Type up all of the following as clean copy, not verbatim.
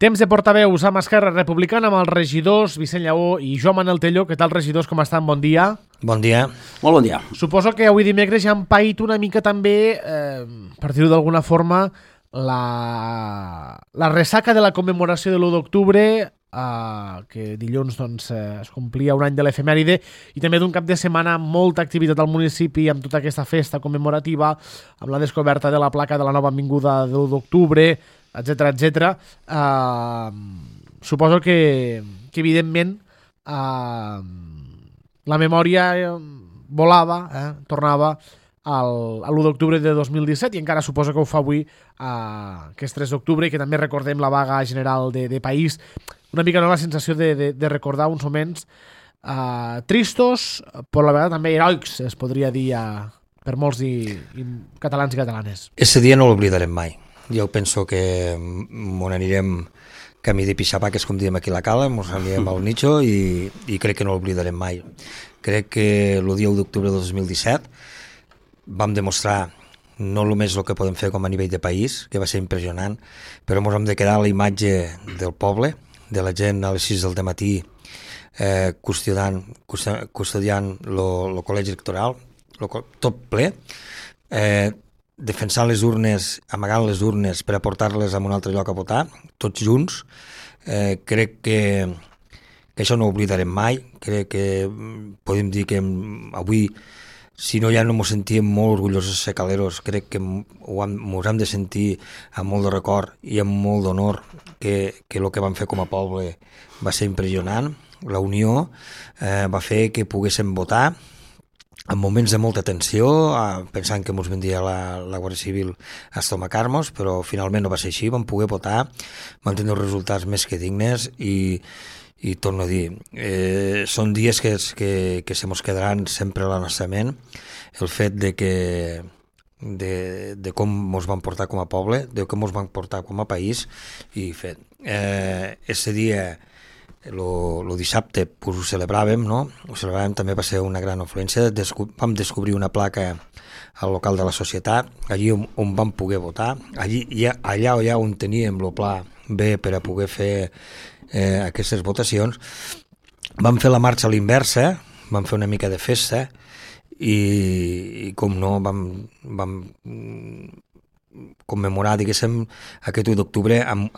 Temps de portaveus amb Esquerra Republicana, amb els regidors Vicent Lleó i Joan Manel Tello. Què tal, regidors? Com estan? Bon dia. Bon dia. Molt bon dia. Suposo que avui dimecres ja han paït una mica també, per dir-ho d'alguna forma, la ressaca de la commemoració de l'1 d'octubre, que dilluns es complia un any de l'efemèride, i també d'un cap de setmana amb molta activitat al municipi, amb tota aquesta festa commemorativa, amb la descoberta de la placa de la nova avinguda de l'1 d'octubre, etc. Suposo que evidentment la memòria volava, tornava a l'1 d'octubre de 2017 i encara suposo que ho fa avui que és 3 d'octubre i que també recordem la vaga general de país. Una mica la sensació de recordar uns moments tristos, però a la vegada també heroics, es podria dir per molts catalans i catalanes. Ese dia no l'oblidarem mai. Jo penso que m'on anirem camí de pixapaques, com diem aquí a la Cala, ens anirem al nicho i crec que no l'oblidarem mai. Crec que el dia 1 d'octubre de 2017 vam demostrar no només el que podem fer com a nivell de país, que va ser impressionant, però ens hem de quedar a la imatge del poble, de la gent a les 6 del matí custodiant el col·legi electoral, tot ple, defensant les urnes, amagant les urnes per aportar-les a un altre lloc a votar, tots junts. Crec que això no ho oblidarem mai. Crec que podem dir que avui, si no ja no ens sentíem molt orgullosos de Caleros, crec que ens hem de sentir amb molt de record i amb molt d'honor que el que vam fer com a poble va ser impressionant. La unió va fer que poguéssim votar en moments de molta tensió, pensant que ens vindria la Guàrdia Civil a estomacar-nos, però finalment no va ser així, vam poder votar, vam tenir resultats més que dignes i torno a dir, són dies que se mos quedaran sempre a la nostra ment, el fet de com ens van portar com a poble, de com ens van portar com a país, i fet, ese dia, el dissabte pues, ho celebràvem, no? Ho celebràvem, també va ser una gran influència. Vam descobrir una placa al local de la societat, allí on vam poder votar, allà on teníem el pla B per a poder fer aquestes votacions. Vam fer la marxa a l'inversa, vam fer una mica de festa i com no, vam commemorar, diguéssim, aquest 1 d'octubre amb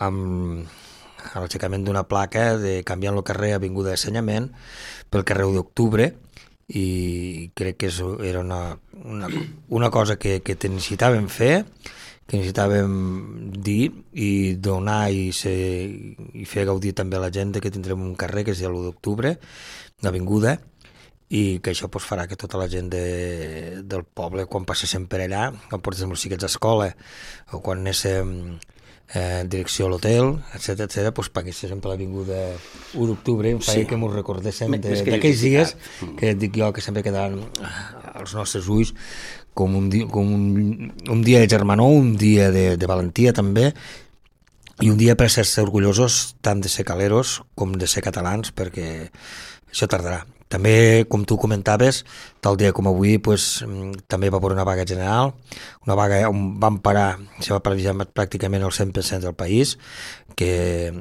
l'aixecament d'una placa de canviant el carrer Avinguda d'Assenyament pel carrer 1 d'octubre, i crec que era una cosa que necessitàvem fer, que necessitàvem dir i donar i fer gaudir també a la gent que tindrem un carrer que és l'1 d'octubre, l'avinguda, i que això farà que tota la gent del poble, quan passéssim per allà, quan portéssim els xiquets a escola o quan anéssim direcció a l'hotel, etc., paguéssim per l'avinguda 1 d'octubre, em feia que ens recordéssim d'aquells dies que dic jo que sempre quedaran als nostres ulls com un dia de germanor, un dia de valentia també, i un dia per ser orgullosos tant de ser caleros com de ser catalans, perquè això tardarà. També, com tu comentaves, tal dia com avui també va haver una vaga general, una vaga on se va paralitzar pràcticament el 100% del país, que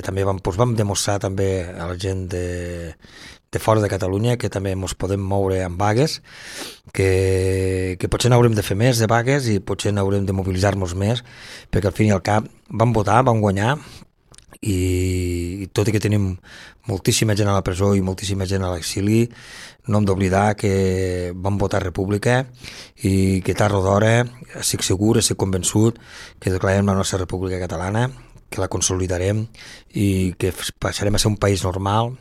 també vam demostrar també a la gent de fora de Catalunya que també ens podem moure amb vagues, que potser n'haurem de fer més de vagues i potser n'haurem de mobilitzar-nos més, perquè al fin i al cap vam votar, vam guanyar, i tot i que tenim moltíssima gent a la presó i moltíssima gent a l'exili, no hem d'oblidar que vam votar República i que tard o d'hora estic segur, estic convençut que declararem la nostra República Catalana, que la consolidarem i que passarem a ser un país normal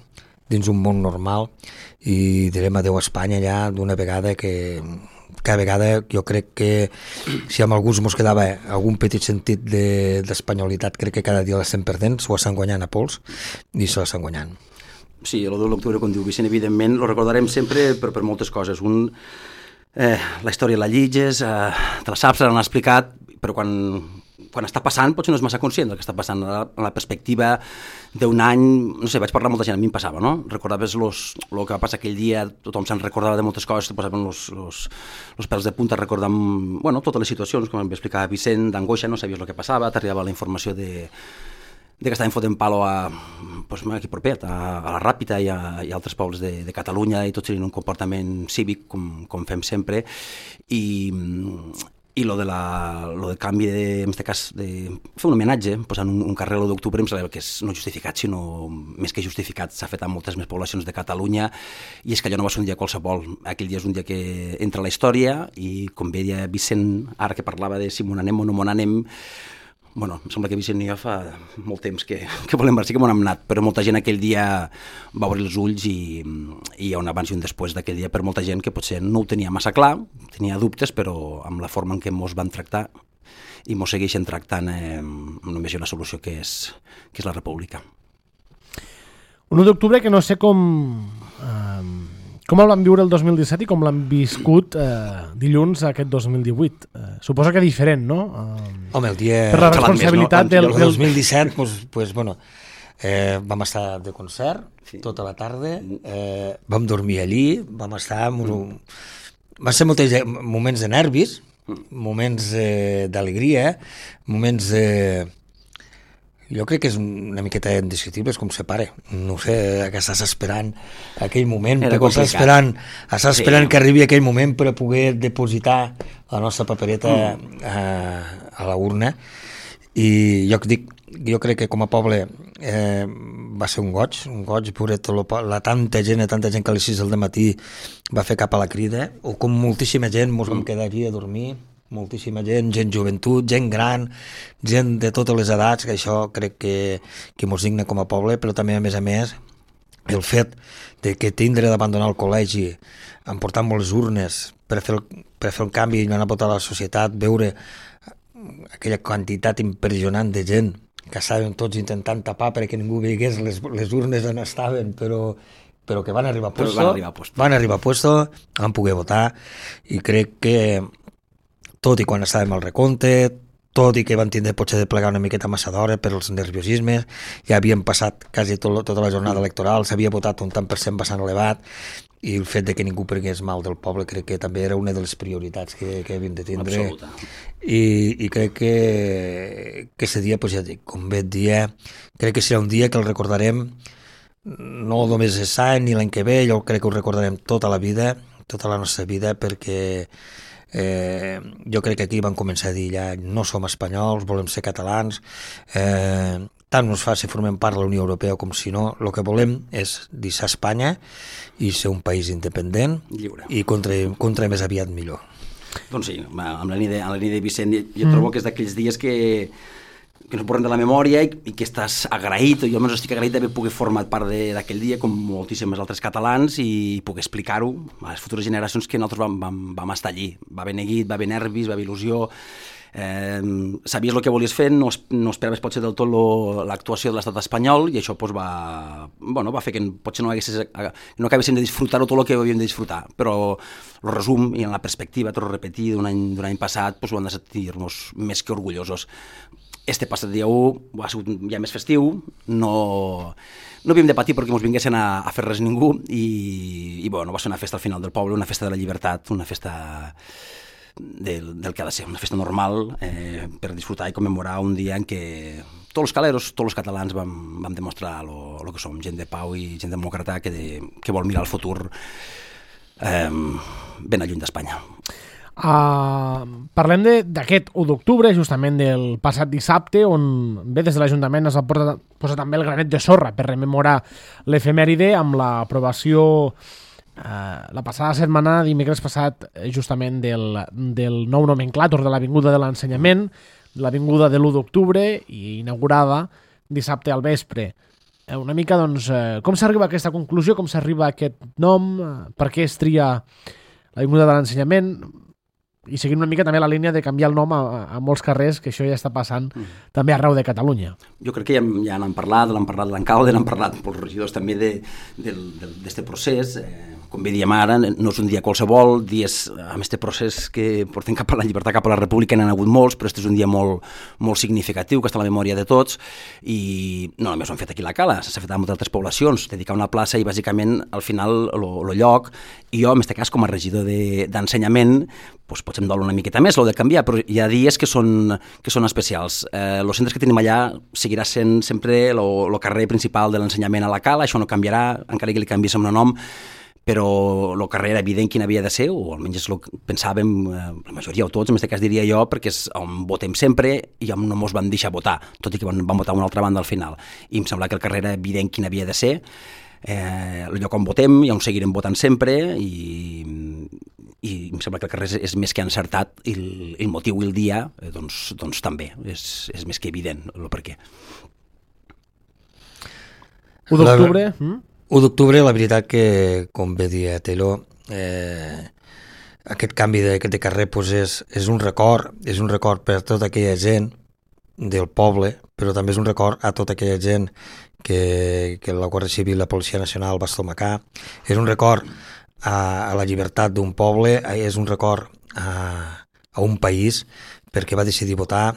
dins un món normal i direm adeu a Espanya ja d'una vegada, que cada vegada jo crec que si amb alguns ens quedava algun petit sentit d'espanyolitat, crec que cada dia l'estem perdent, s'ho estan guanyant a pols i se l'estan guanyant. Sí, el 2 d'octubre, com diu Vicent, evidentment lo recordarem sempre per moltes coses. La història la llitges, te la saps, l'han explicat, però quan està passant potser no és massa conscient del que està passant. En la perspectiva d'un any, no sé, vaig parlar amb molta gent, a mi em passava, no? Recordaves el que va passar aquell dia, tothom se'n recordava de moltes coses, te posaven els pèls de punta recordant, totes les situacions, com em va explicar Vicent, d'angoixa, no sabies el que passava, t'arribava la informació que estaven fotent palo aquí proper, a la Ràpita i a altres pobles de Catalunya, i tots tenien un comportament cívic, com fem sempre, i lo del canvi, en aquest cas, de fer un homenatge, posant un carrer l'1 d'octubre, em sembla que és no justificat, sinó més que justificat, s'ha fet a moltes més poblacions de Catalunya, i és que allò no va ser un dia qualsevol. Aquell dia és un dia que entra a la història, i com bé deia Vicent, ara que parlava de si m'on anem o no m'on anem, bueno, em sembla que Vicent i jo fa molt temps que volem veure, sí que m'on hem anat, però molta gent aquell dia va obrir els ulls i hi ha un abans i un després d'aquell dia per molta gent que potser no ho tenia massa clar, tenia dubtes, però amb la forma en què mos van tractar i mos segueixen tractant només hi ha una solució que és la república. Un 1 d'octubre que no sé com el van viure el 2017 i com l'han viscut dilluns aquest 2018. Suposo que diferent, no? Home, el dia... Per la responsabilitat del 2017, pues, bueno, vam estar de concert tota la tarda, vam dormir allí, vam estar... Van ser molts moments de nervis, moments d'alegria, moments de... Jo crec que és una miqueta indescriptible, és com se pare. No sé, que estàs esperant aquell moment, estàs esperant que arribi aquell moment per a poder depositar la nostra papereta a la urna. I jo crec que com a poble va ser un goig veure la tanta gent que a les 6 del matí va fer cap a la crida, o com moltíssima gent mos vam quedar allí a dormir, moltíssima gent joventut, gent gran, gent de totes les edats, que això crec que mos digna com a poble, però també a més el fet de que tindre d'abandonar el col·legi, emportant les urnes per fer el canvi i anar a votar a la societat, veure aquella quantitat impressionant de gent que estaven tots intentant tapar perquè ningú veigués les urnes on estaven, però que van arribar a puesto, van poder votar, i crec que tot i quan estàvem al recompte, tot i que van tindre potser de plegar una miqueta massa d'hora per els nerviosismes, ja havien passat quasi tota la jornada electoral, s'havia votat un tant per cent bastant elevat, i el fet de que ningú prengués mal del poble crec que també era una de les prioritats que havien de tindre. Absoluta. I crec que aquest dia, pues ja dic, com bé et dia, crec que serà un dia que el recordarem no només aquest any ni l'any que ve, jo crec que ho recordarem tota la vida, tota la nostra vida, perquè jo crec que aquí van començar a dir ja no som espanyols, volem ser catalans, tant nos fa si formem part de la Unió Europea com si no, el que volem és deixar Espanya i ser un país independent, lliure, i contra més aviat millor. Doncs sí, amb la línia de Vicent, jo trobo que és d'aquells dies que no borren de la memòria i que estàs agraït, jo almenys estic agraït d'haver pogut formar part d'aquell dia com moltíssims altres catalans i poder explicar-ho a les futures generacions que nosaltres vam estar allí. Va haver neguit, va haver nervis, va haver il·lusió, sabies el que volies fer, no esperaves potser del tot l'actuació de l'estat espanyol, i això va fer que potser no acabéssim de disfrutar-ho tot el que havíem de disfrutar, però el resum i en la perspectiva, torno a repetir, d'un any passat, ho hem de sentir-nos més que orgullosos. Este passat dia 1 ha sigut ja més festiu, no havíem de patir perquè ens vinguessin a fer res ningú, i va ser una festa al final del poble, una festa de la llibertat, una festa del que ha de ser, una festa normal per disfrutar i commemorar un dia en què tots els caleros, tots els catalans vam demostrar el que som, gent de pau i gent demòcrata que vol mirar el futur ben lluny d'Espanya. Parlem d'aquest 1 d'octubre, justament del passat dissabte, on bé des de l'Ajuntament es va posar també el granet de sorra per rememorar l'efemèride amb l'aprovació la passada setmana, dimecres passat, justament del nou nomenclàtor de l'Avinguda de l'Ensenyament, l'Avinguda de l'1 d'octubre, i inaugurada dissabte al vespre. Una mica, doncs, com s'arriba a aquesta conclusió, com s'arriba a aquest nom, per què es tria l'Avinguda de l'Ensenyament, i seguint una mica també la línia de canviar el nom a molts carrers, que això ja està passant també arreu de Catalunya. Jo crec que ja n'han parlat, l'alcalde, n'han parlat pels regidors també d'aquest procés, com bé diem ara, no és un dia qualsevol, dies amb aquest procés que portem cap a la llibertat, cap a la república, n'han hagut molts, però este és un dia molt, molt significatiu, que està a la memòria de tots, i no només ho han fet aquí a la Cala, s'ha fet a moltes altres poblacions, dedicar una plaça i bàsicament al final el lloc, i jo en aquest cas com a regidor d'ensenyament, doncs potser em dol una miqueta més, l'ho de canviar, però hi ha dies que són especials. Els centres que tenim allà seguirà sent sempre el carrer principal de l'ensenyament a la Cala, això no canviarà, encara que li canviés el nom, però el carrer era evident quin havia de ser, o almenys és el que pensàvem la majoria o tots, en aquest cas diria jo, perquè és on votem sempre i on no mos van deixar votar, tot i que van votar una altra banda al final. I em sembla que el carrer era evident quin havia de ser, el lloc on votem i on seguirem votant sempre, i em sembla que el carrer és més que encertat, i el motiu i el dia doncs també, és més que evident el per què. 1 d'octubre... 1 d'octubre, la veritat que, com bé dia Taylor, aquest canvi de carrer pues és un record per tota aquella gent del poble, però també és un record a tota aquella gent que la Guàrdia Civil i la Policia Nacional va estomacar, és un record a la llibertat d'un poble, és un record a un país perquè va decidir votar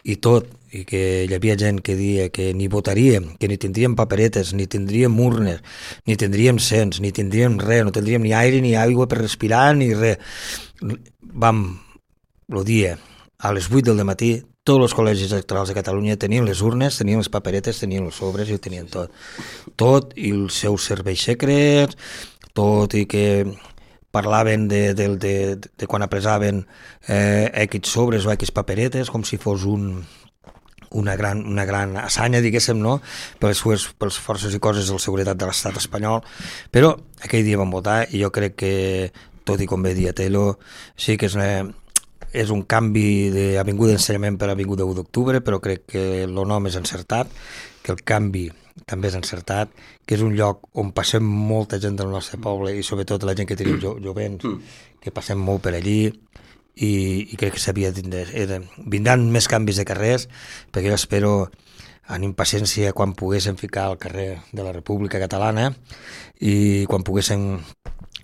i tot, i que hi havia gent que deia que ni votaríem, que ni tindríem paperetes, ni tindríem urnes, ni tindríem cens, ni tindríem res, no tindríem ni aire ni aigua per respirar, ni res. Vam, el dia, a les 8 del matí, tots els col·legis electorals de Catalunya tenien les urnes, tenien les paperetes, tenien els sobres i ho tenien tot. Tot, i els seus serveis secrets, tot, i que parlaven de quan apresaven X sobres o X paperetes, com si fos una gran assanya, diguéssim, no? per les forces i coses de seguretat de l'estat espanyol, però aquell dia vam votar i jo crec que, tot i com bé dia Taylor, sí que és un canvi d'avinguda d'ensenyament per avinguda 1 d'octubre, però crec que el nom és encertat, que el canvi també és encertat, que és un lloc on passem molta gent del nostre poble i sobretot la gent que tenim jovents, que passem molt per allí, i crec que vindran més canvis de carrers, perquè jo espero amb impaciència quan poguéssim ficar al carrer de la República Catalana i quan poguéssim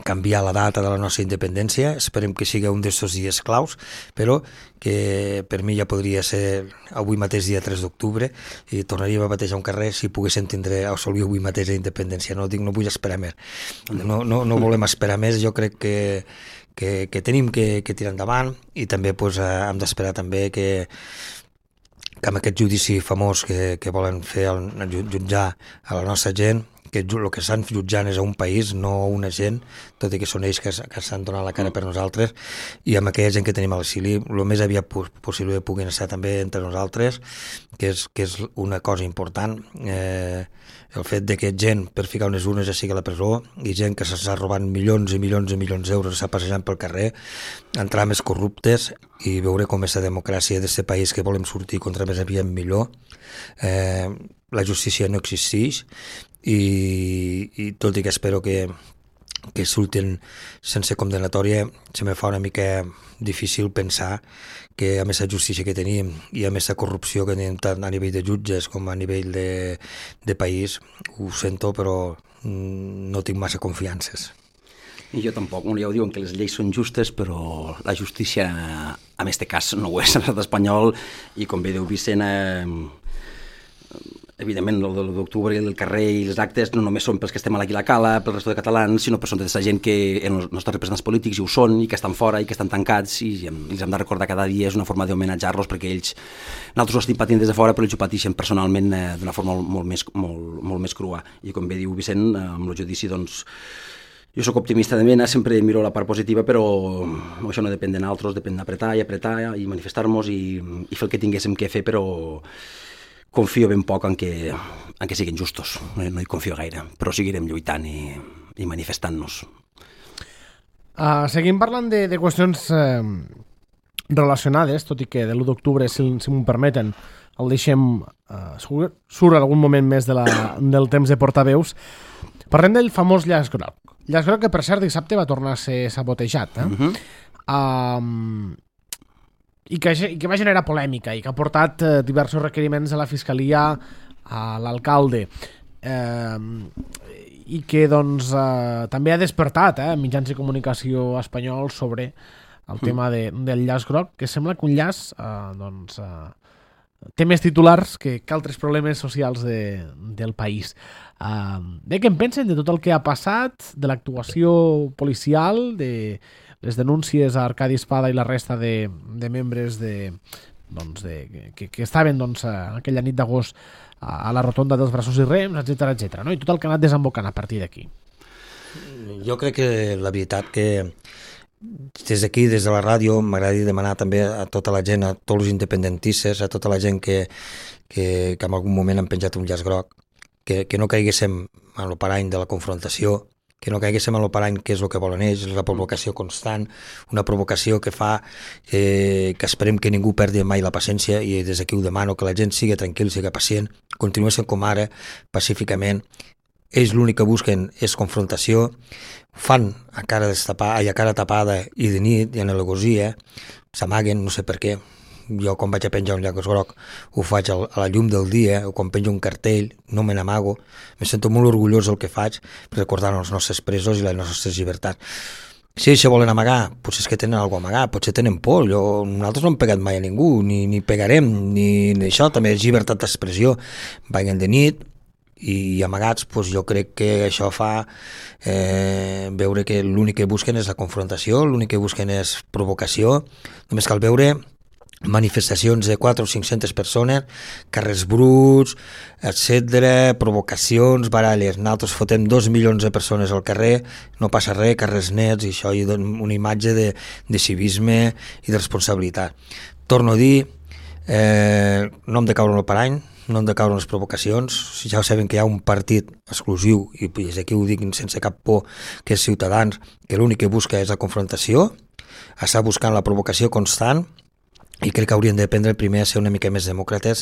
canviar la data de la nostra independència. Esperem que sigui un d'aquests dies claus, però que per mi ja podria ser avui mateix dia 3 d'octubre i tornaríem a batejar un carrer si poguéssim assolir avui mateix la independència. No vull esperar més. No volem esperar més. Jo crec que tenim que tirar endavant i també hem d'esperar també que amb aquest judici famós que volen fer jutjar a la nostra gent, que el que estan jutjant és a un país, no una gent, tot i que són ells que s'han donat la cara per nosaltres, i amb aquella gent que tenim a l'exili, el més aviat possible puguin estar també entre nosaltres, que és una cosa important, el fet de que gent per ficar unes urnes ja sigui a la presó, i gent que s'està robant milions i milions i milions d'euros, s'està passejant pel carrer, entrar més corruptes, i veure com és la democràcia d'aquest país que volem sortir contra més aviat millor. La justícia no existeix, i tot i que espero que surtin sense condemnatòria, se me fa una mica difícil pensar que amb aquesta justícia que tenim i amb aquesta corrupció que tenim tant a nivell de jutges com a nivell de país, ho sento, però no tinc massa confiances. I jo tampoc, ja ho diuen que les lleis són justes, però la justícia en aquest cas no ho és a l'estat espanyol, i com bé diu Vicent, evidentment el de d'octubre i el carrer i els actes no només són pels que estem aquí a la Cala, pel resto de catalans, sinó per tota aquesta gent que els nostres representants polítics hi ho són i que estan fora i que estan tancats, i els hem de recordar cada dia, és una forma d'homenatjar-los perquè nosaltres ho estem patint des de fora, però ells ho pateixen personalment d'una forma molt més crua. I com bé diu Vicent, amb el judici, doncs, jo sóc optimista de mena, sempre miro la part positiva, però això no depèn de nosaltres, depèn d'apretar i manifestar-nos i fer el que tinguéssim que fer, però confio ben poc en que siguin justos, no hi confio gaire, però seguirem lluitant i manifestant-nos. Seguim parlant de qüestions relacionades, tot i que de l'1 d'octubre, si m'ho permeten, el deixem surt algun moment més del temps de portaveus. Parlem del famós llaç groc. Llaç groc que, per cert, dissabte va tornar a ser sabotejat. I que va generar polèmica i que ha portat diversos requeriments a la Fiscalia, a l'alcalde. i que doncs, també ha despertat mitjans de comunicació espanyols sobre el tema del llaç groc, que sembla que un llaç té més titulars que altres problemes socials del país. Bé, què en pensen de tot el que ha passat, de l'actuació policial, de les denúncies a Arcadi Espada i la resta de membres que estaven aquella nit d'agost a la rotonda dels braços i rems, etc, no? I tot el que ha anat desembocant a partir d'aquí. Jo crec que la veritat que des d'aquí, des de la ràdio, m'agradaria demanar també a tota la gent, a tots els independentistes, a tota la gent que en algun moment han penjat un llaç groc, que no caiguéssim en el parany de la confrontació, que no caiguéssim en el parany que és el que volen ells, la provocació constant, una provocació que fa que esperem que ningú perdi mai la paciència, i des d'aquí ho demano, que la gent sigui tranquil, sigui pacient, continuessin com ara, pacíficament. Ells l'únic que busquen és confrontació, fan a cara tapada i de nit i en alegosia, s'amaguen, no sé per què. Jo quan vaig a penjar un llaç groc ho faig a la llum del dia, o quan penjo un cartell no me n'amago, me sento molt orgullós del que faig, recordant els nostres presos i les nostres llibertats. Si ells volen amagar, potser és que tenen alguna cosa a amagar, potser tenen por. Nosaltres no hem pegat mai a ningú, ni pegarem, ni això, també és llibertat d'expressió. Vaguen de nit i amagats, doncs jo crec que això fa veure que l'únic que busquen és la confrontació, l'únic que busquen és provocació. Només cal veure manifestacions de 400 o 500 persones, carrers bruts, etc, provocacions, baralles. Nosaltres fotem 2 milions de persones al carrer, no passa res, carrers nets, i això hi dona una imatge de civisme i de responsabilitat. Torno a dir, no hem de caure en el parany, no hem de caure en les provocacions. Ja sabem que hi ha un partit exclusiu, i des d'aquí ho dic sense cap por, que és Ciutadans, que l'únic que busca és la confrontació, està buscant la provocació constant, i crec que haurien d'aprendre primer a ser una mica més demòcrates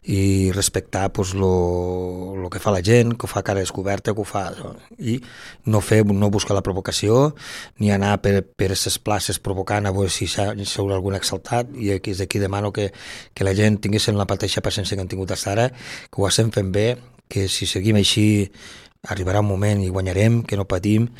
i respectar lo que fa la gent, que ho fa a cara descoberta, que ho fa, i no buscar la provocació, ni anar per aquestes places provocant a veure si s'haurà algun exaltat. I des d'aquí demano que la gent tinguessin la mateixa paciència que han tingut fins ara, que ho estem fent bé, que si seguim així arribarà un moment i guanyarem, que no patim,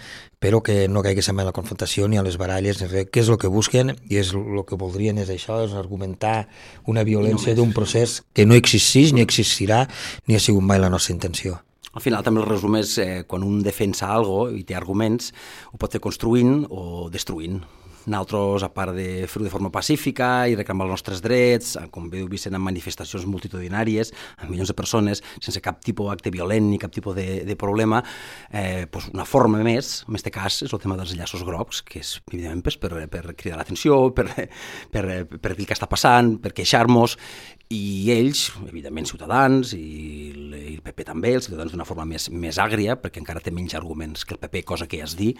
però que no caiguéssim en la confrontació ni a les baralles ni res, que és el que busquen, i és el que voldrien és això, és argumentar una violència d'un procés que no existeix ni existirà ni ha sigut mai la nostra intenció. Al final també el resum és quan un defensa alguna cosa i té arguments, ho pot fer construint o destruint. Nosaltres, a part de fer-ho de forma pacífica i reclamar els nostres drets, com bé diu Vicent, en manifestacions multitudinàries, amb milions de persones, sense cap tipus d'acte violent ni cap tipus de problema, una forma més, en aquest cas, és el tema dels llaços grocs, que és, evidentment, per cridar l'atenció, per dir què està passant, per queixar-nos, i ells, evidentment, Ciutadans, i el PP també, els Ciutadans d'una forma més àgria, perquè encara té menys arguments que el PP, cosa que ja es dir,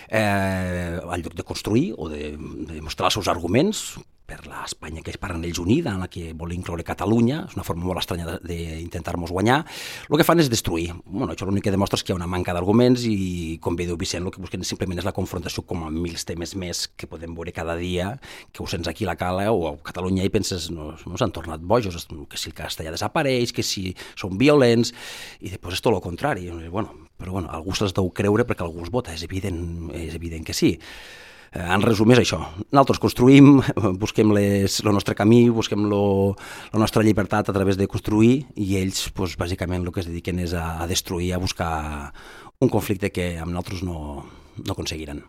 al lloc de construir o de mostrar els seus arguments per l'Espanya que es parlen ells unida, en la que vol incloure Catalunya, és una forma molt estranya d'intentar-nos guanyar, el que fan és destruir. Això l'únic que demostra és que hi ha una manca d'arguments i, com bé diu Vicent, el que busquen simplement és la confrontació com a mil temes més que podem veure cada dia, que ho sents aquí a la Cala o a Catalunya i penses, no s'han tornat bojos, que si el castellà desapareix, que si són violents, i després és tot el contrari. Però algú se'ls deu creure perquè algú els vota, és evident que sí. En resum és això, nosaltres construïm, busquem el nostre camí, busquem la nostra llibertat a través de construir, i ells bàsicament el que es dediquen és a destruir, a buscar un conflicte que amb nosaltres no aconseguiran.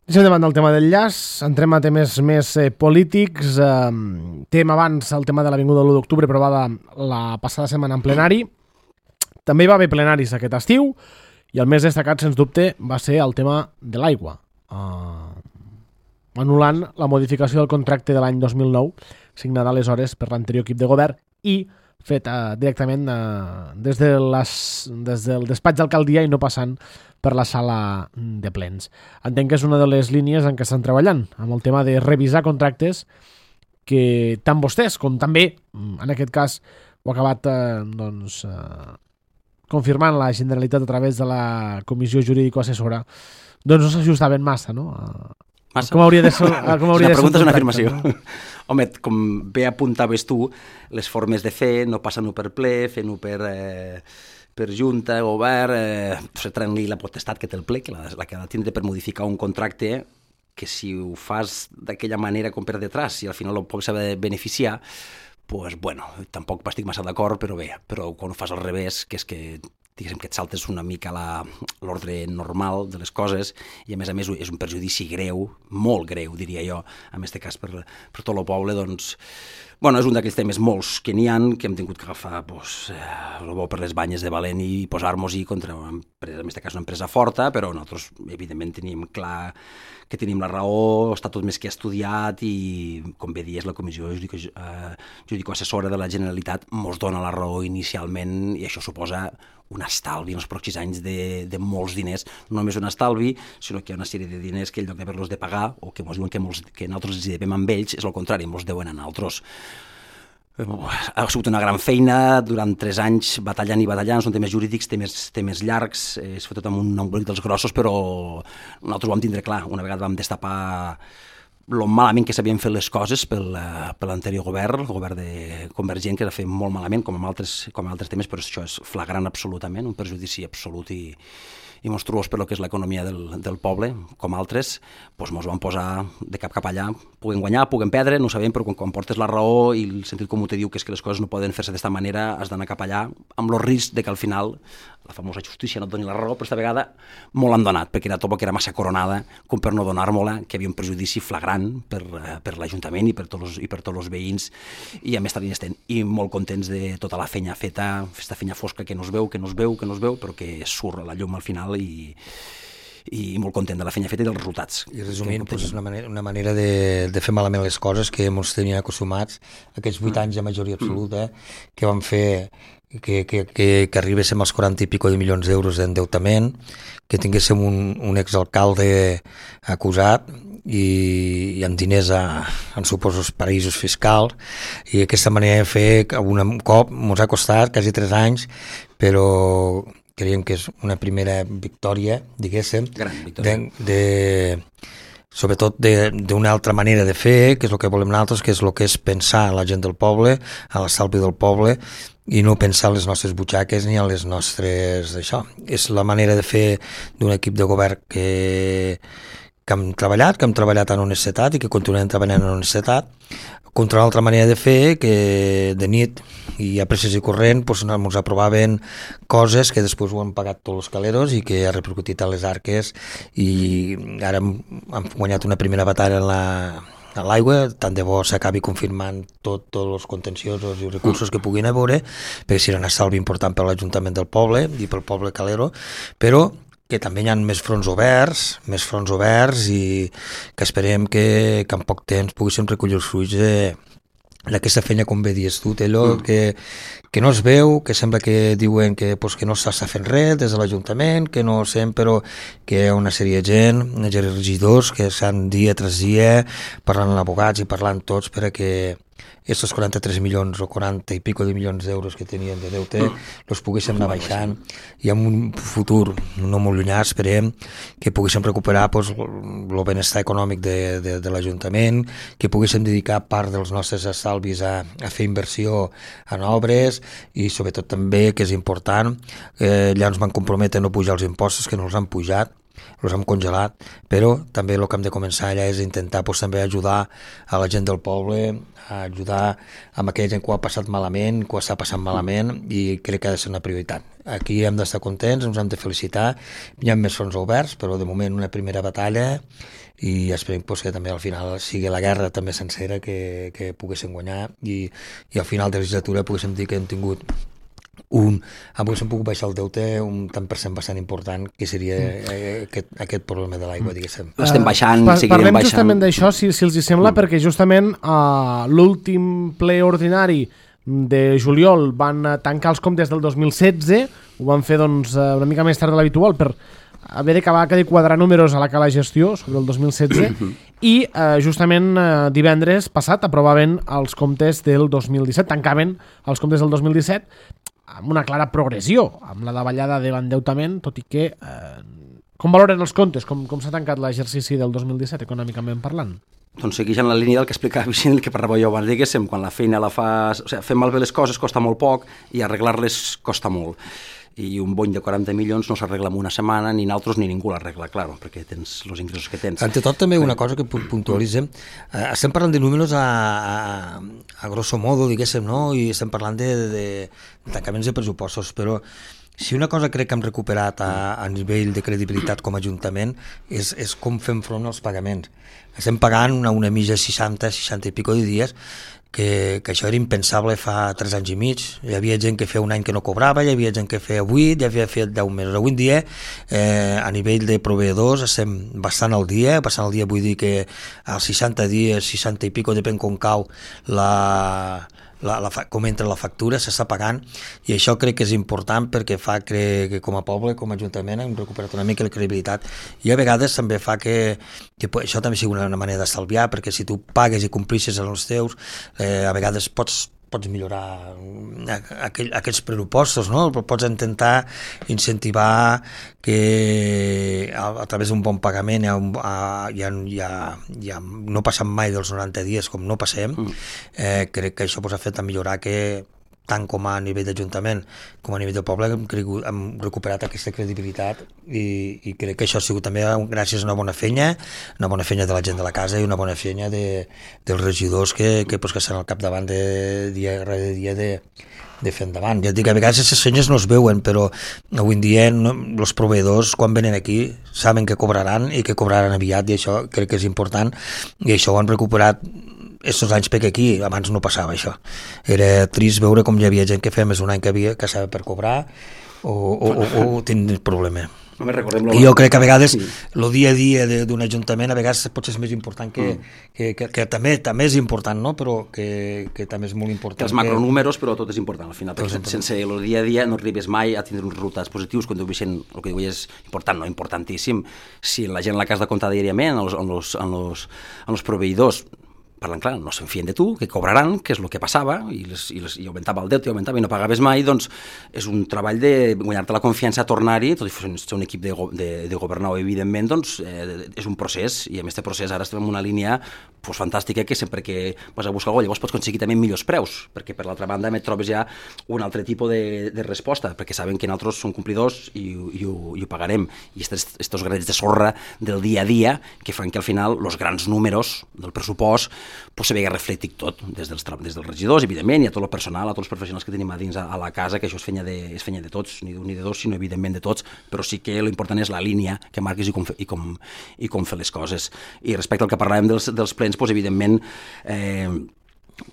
Deixem davant del tema del llaç, entrem a temes més polítics. Tema abans el tema de l'Avinguda de l'1 d'octubre aprovada la passada setmana en plenari. També hi va haver plenaris aquest estiu, i el més destacat, sens dubte, va ser el tema de l'aigua. Anul·lant la modificació del contracte de l'any 2009 signada aleshores per l'anterior equip de govern i fet directament des del despatx d'alcaldia i no passant per la sala de plens. Entenc que és una de les línies en què estan treballant, amb el tema de revisar contractes que tant vostès com també, en aquest cas, ho ha acabat confirmant la Generalitat a través de la Comissió Jurídico-Assessora, doncs no s'ajustaven massa, no? Massa? Com hauria de ser la pregunta és una afirmació. No? Home, com bé apuntaves tu, les formes de fer no passen-ho per ple, fent-ho per per junta, govern, retreure-li la potestat que té el ple, que la que ha de tindre per modificar un contracte que si ho fas d'aquella manera com per detrás i al final el poble s'ha de beneficiar, pues bueno, tampoc estic massa d'acord, però bé, però quan ho fas al revés, que és que diguéssim que et saltes una mica l'ordre normal de les coses i a més és un perjudici greu, molt greu diria jo, en aquest cas per tot el poble, doncs bueno, és un d'aquells temes molts que n'hi ha, que hem tingut que agafar el bo per les banyes de valent i posar-nos-hi contra una empresa, en aquest cas una empresa forta, però nosaltres evidentment tenim clar que tenim la raó, està tot més que estudiat i, com bé dius, la Comissió Judico-Assessora de la Generalitat mos dona la raó inicialment i això suposa un estalvi en els pròxims anys de molts diners, no només un estalvi, sinó que hi ha una sèrie de diners que en lloc d'haver-los de pagar o que ens diuen que nosaltres els devem amb ells, és el contrari, ens deuen a nosaltres. Ha sigut una gran feina, durant 3 anys batallant i batallant, són temes jurídics, temes llargs, és fet tot amb un embolic dels grossos, però nosaltres ho vam tindre clar, una vegada vam destapar lo malament que s'havien fet les coses per l'anterior govern, el govern de Convergent, que s'ha fet molt malament, com amb altres temes, però això és flagrant absolutament, un perjudici absolut i monstruós per lo que és l'economia del poble, com altres, doncs ens van posar de cap allà, puguen guanyar, puguen perdre, no ho sabem, però quan portes la raó i el sentit comú te diu que és que les coses no poden fer-se d'esta manera, has d'anar cap allà, amb el risc de que al final la famosa justícia no et doni la raó, però aquesta vegada molt l'han donat, perquè era tot que era massa coronada, com per no donar-me-la, que havia un perjudici flagrant per l'Ajuntament i per tots els veïns, i a més estem i molt contents de tota la feina feta, aquesta feina fosca que no es veu, però que surt a la llum al final i molt content de la feina feta i dels resultats. I resumint, és una manera de fer malament les coses que ens tenien acostumats aquests 8 anys de majoria absoluta que van fer que arribéssim als 40 i pico de milions d'euros d'endeutament, que tinguéssim un exalcalde acusat i amb diners en suposos paraïsos fiscals, i aquesta manera de fer un cop ens ha costat quasi 3 anys, però creiem que és una primera victòria, diguéssim, sobretot d'una altra manera de fer, que és el que volem nosaltres, que és el que és pensar a la gent del poble, a l'estalvi del poble, i no pensar a les nostres butxaques ni a les nostres... Això és la manera de fer d'un equip de govern que hem treballat en honestedat i que continuem treballant en honestedat, contra l'altra manera de fer, que de nit i a presses i corrent ens aprovaven coses que després ho han pagat tots els caleros i que ha repercutit a les arques, i ara hem guanyat una primera batalla a l'aigua, tant de bo s'acabi confirmant tots els contenciosos i recursos que puguin haver, perquè serà un estalvi important per l'Ajuntament del poble i pel poble calero, però que també hi ha més fronts oberts i que esperem que en poc temps poguéssim recollir els fruits d'aquesta feina, com bé dius tu, allò que no es veu, que sembla que diuen que no s'està fent res des de l'Ajuntament, que no sent, però que hi ha una sèrie de gent, regidors, que estan dia tras dia parlant amb abogats i parlant tots per a que aquests 43 milions o 40 i pico de milions d'euros que tenien de deute els poguéssim anar baixant, i en un futur no molt llunyà esperem que poguéssim recuperar el benestar econòmic de l'Ajuntament, que poguéssim dedicar part dels nostres estalvis a fer inversió en obres, i sobretot també, que és important, allà ens van comprometre a no pujar els impostos, que no els han pujat, els hem congelat, però també el que hem de començar allà és intentar també ajudar a la gent del poble, a ajudar amb aquella gent que ho ha passat malament, que ho està passant malament, i crec que ha de ser una prioritat. Aquí hem d'estar contents, ens hem de felicitar, hi ha més fronts oberts, però de moment una primera batalla, i esperem que també al final sigui la guerra també sencera que poguéssim guanyar, i al final de la legislatura poguéssim dir que hem tingut avui s'han pogut baixar el deute un tant per cent bastant important, que seria aquest problema de l'aigua, diguéssim. L'estem baixant, seguirem parlem baixant. Justament d'això, si els hi sembla, perquè justament l'últim ple ordinari de juliol van tancar els comptes del 2016, ho van fer doncs, una mica més tard de l'habitual per haver d'acabar de quadrar números a la cala gestió sobre el 2016 i justament divendres passat aprovaven els comptes del 2017, tancaven els comptes del 2017 amb una clara progressió, amb la davallada de l'endeutament, tot i que com valoren els comptes? Com s'ha tancat l'exercici del 2017 econòmicament parlant? Doncs segueix en la línia del que explicava Vicent, el que parlava jo abans, diguéssim, quan la feina la fas... O sigui, fer malbé les coses costa molt poc i arreglar-les costa molt. i un bony de 40 milions no s'arregla en una setmana, ni nosaltres ni ningú l'arregla, clar, perquè tens els ingressos que tens. Ante tot, també una cosa que puntualitzem, estem parlant de números a grosso modo, diguéssim, no? I estem parlant de tancaments de pressupostos, però si una cosa crec que hem recuperat a nivell de credibilitat com a Ajuntament és com fem front als pagaments. Estem pagant una mitja 60 i pico de dies, que això era impensable fa 3 anys i mig. Hi havia gent que feia un any que no cobrava, hi havia gent que feia 8, hi havia fet 10 mesos. Avui en dia, a nivell de proveïdors, estem bastant al dia, vull dir que als 60 dies, 60 i pico, depèn com cau com entra la factura, s'està pagant, i això crec que és important perquè fa que com a poble, com a Ajuntament, hem recuperat una mica la credibilitat, i a vegades també fa que això també sigui una manera d'estalviar, perquè si tu pagues i complisses els teus, a vegades pots millorar aquests pressupostos, no? Pots intentar incentivar que a través d'un bon pagament ja no passem mai dels 90 dies com no passem. Crec que això ha fet a millorar que tant com a nivell d'Ajuntament com a nivell del poble hem recuperat aquesta credibilitat, i crec que això ha sigut també gràcies a una bona feina de la gent de la casa i una bona feina dels regidors que estan al capdavant de dia rere dia de fer endavant. Ja et dic, a vegades aquestes feines no es veuen, però avui en dia els proveïdors quan venen aquí saben que cobraran i que cobraran aviat, i això crec que és important, i això ho han recuperat estos anys, perquè aquí abans no passava això. Era trist veure com hi havia gent que feia més d'un any que estava per cobrar o tindre problema. I jo crec que a vegades el dia a dia d'un ajuntament a vegades potser és més important que també és important, no? Però que també és molt important. Els macronúmeros, però tot és important al final, perquè sense el dia a dia no arribes mai a tindre uns resultats positius. Quan Vicent, el que diu és important, no importantíssim, si la gent a la casa de comptar diàriament, en els proveïdors parlant clar, no se'n fien de tu, que cobraran, que és el que passava, i augmentava el deute, i no pagaves mai, doncs és un treball de guanyar-te la confiança a tornar-hi, tot i ser un equip de governar, evidentment, doncs és un procés, i amb aquest procés ara estem en una línia fantàstica, que sempre que vas a buscar alguna cosa, llavors pots aconseguir també millors preus, perquè per l'altra banda et trobes ja un altre tipus de resposta, perquè saben que nosaltres som complidors i ho pagarem, i estos granets de sorra del dia a dia que fan que al final els grans números del pressupost se vegi reflectit tot, des dels regidors, evidentment, i a tot el personal, a tots els professionals que tenim a dins a la casa, que això és feina de tots, ni d'un ni de dos, sinó evidentment de tots, però sí que l'important és la línia que marques i com fer les coses. I respecte al que parlàvem dels plens, doncs evidentment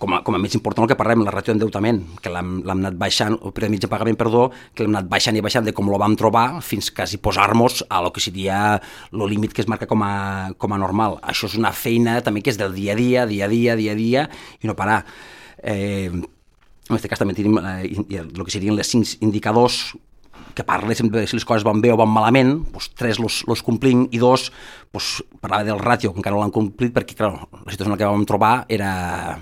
com a més important el que parlem, la ràtio d'endeutament, que l'hem anat baixant, el període mig de pagament, perdó, que l'hem anat baixant i baixant de com lo vam trobar fins quasi posar-nos a lo que seria el límit que es marca com a normal. Això és una feina també que és del dia a dia, i no parar. En aquest cas també tenim el que serien les 5 indicadors que parla sempre de si les coses van bé o van malament, doncs 3 los complim, i 2 doncs, parlava del ràtio, que encara no l'han complit, perquè clar, la situació en la que vam trobar era,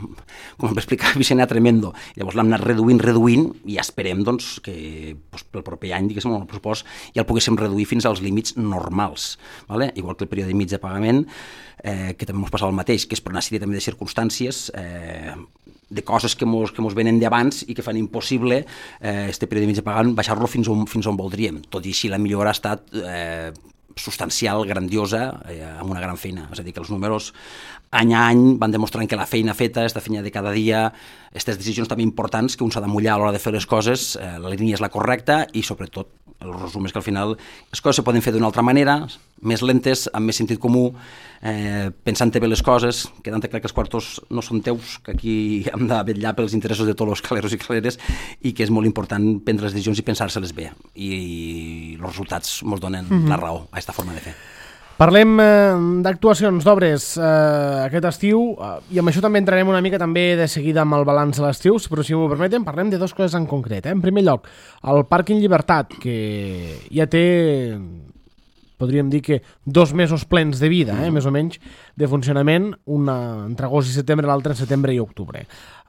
com em va explicar Vicent, era tremendo. Llavors l'hem anat reduint, i esperem doncs, que doncs, pel proper any, diguéssim, el pressupost ja el poguéssim reduir fins als límits normals, ¿vale? Igual que el període mig de pagament, que també ens passava el mateix, que és per una sèrie també de circumstàncies, de coses que mos venen d'abans i que fan impossible este període mig de pagament baixar-lo fins on voldríem. Tot i així la millora ha estat substancial, grandiosa, amb una gran feina. És a dir, que els números any a any van demostrant que la feina feta, esta feina de cada dia, aquestes decisions també importants que un s'ha de mullar a l'hora de fer les coses, la línia és la correcta, i sobretot el resum és que al final les coses se poden fer d'una altra manera, més lentes, amb més sentit comú, pensant-te bé les coses, quedant-te clar que els quartos no són teus, que aquí hem de vetllar pels interessos de tots els caleros i caleres, i que és molt important prendre les decisions i pensar-se-les bé, i els resultats ens donen la raó a aquesta forma de fer. Parlem d'actuacions, d'obres aquest estiu, i amb això també entrarem una mica també de seguida amb el balanç de l'estiu, però si m'ho permeten parlem de 2 coses en concret. En primer lloc, el Pàrquing Llibertat, que ja té, podríem dir que 2 mesos plens de vida, més o menys, de funcionament, una entre agost i setembre, l'altra en setembre i octubre.